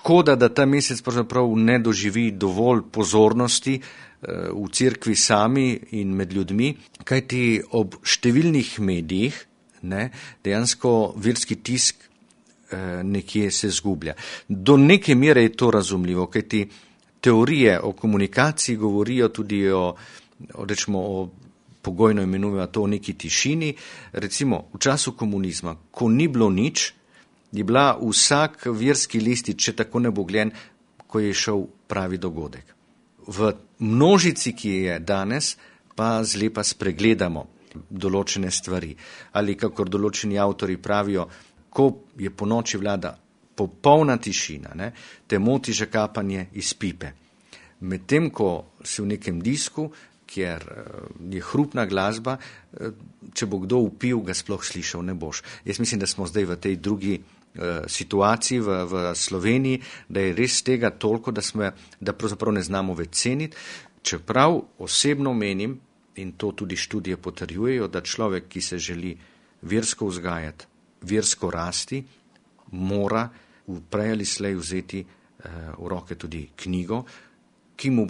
škoda, da ta mesec pravzaprav ne doživi dovolj pozornosti v cerkvi sami in med ljudmi, kajti ob številnih medijih dejansko verski tisk nekje se zgublja. Do neke mere je to razumljivo, kajti teorije o komunikaciji govorijo tudi o pogojno imenujemo to o neki tišini. Recimo v času komunizma, ko ni bilo nič, je bila vsak verski listič, če tako nebogljen, ko je šel pravi dogodek. V množici, ki je danes, pa zlepa spregledamo določene stvari. Ali kakor določeni avtori pravijo, ko je po noči vlada popolna tišina, te moti že kapanje iz pipe. Medtem, ko si v nekem disku, kjer je hrupna glasba, če bo kdo vpil, ga sploh slišal ne boš. Jaz mislim, da smo zdaj v tej drugi situaciji v Sloveniji, da je res tega toliko, da pravzaprav ne znamo več ceniti, čeprav osebno menim, in to tudi študije potrjujejo, da človek, ki se želi versko vzgajati, versko rasti, mora prej ali slej vzeti v roke tudi knjigo,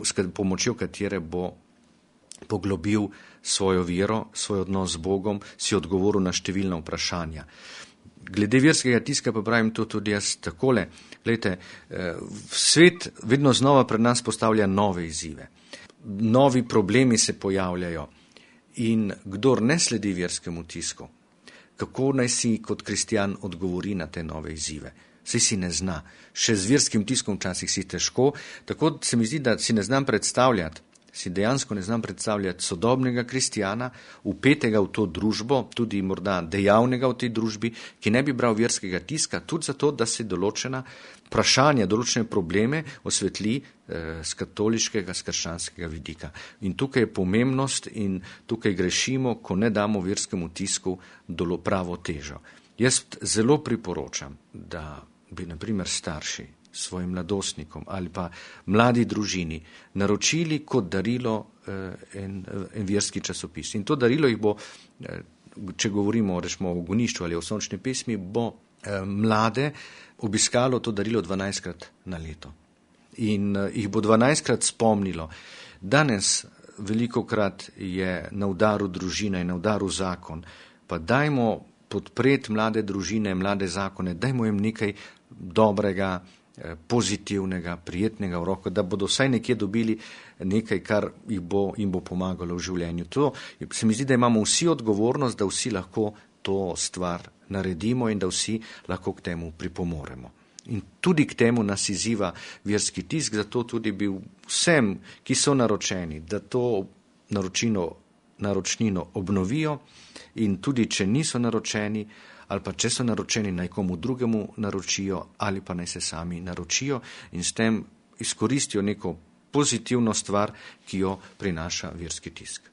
s pomočjo katere bo poglobil svojo vero, svoj odnos z Bogom, si odgovoril na številna vprašanja. Glede verskega tiska pa pravim to tudi jaz takole. Glejte, svet vedno znova pred nas postavlja nove izzive. Novi problemi se pojavljajo in kdor ne sledi verskemu tisku, kako naj si kot kristjan odgovori na te nove izzive? Saj si ne zna. Še z verskim tiskom včasih si težko, tako se mi zdi, da si dejansko ne znam predstavljati sodobnega kristjana, vpetega v to družbo, tudi morda dejavnega v tej družbi, ki ne bi bral verskega tiska, tudi zato, da se določena vprašanja, določene probleme osvetli z katoliškega, z krščanskega vidika. In tukaj je pomembnost in tukaj grešimo, ko ne damo verskemu tisku pravo težo. Jaz zelo priporočam, da bi na primer starši svojim mladostnikom ali pa mladi družini naročili kot darilo en verski časopis. In to darilo jih bo, če govorimo o gonišču ali o sončni pesmi, bo mlade obiskalo to darilo 12krat na leto. In jih bo 12krat spomnilo. Danes velikokrat je na udaru družina in na udaru zakon, pa dajmo podpreti mlade družine, mlade zakone, dajmo jim nekaj dobrega, pozitivnega, prijetnega v roko, da bodo vsaj nekje dobili nekaj, kar jim bo pomagalo v življenju. To se mi zdi, da imamo vsi odgovornost, da vsi lahko to stvar naredimo in da vsi lahko k temu pripomoremo. In tudi k temu nas izziva verski tisk, zato tudi bi vsem, ki so naročeni, da to naročnino obnovijo in tudi, če niso naročeni, ali pa če so naročeni, naj komu drugemu naročijo ali pa naj se sami naročijo in s tem izkoristijo neko pozitivno stvar, ki jo prinaša verski tisk.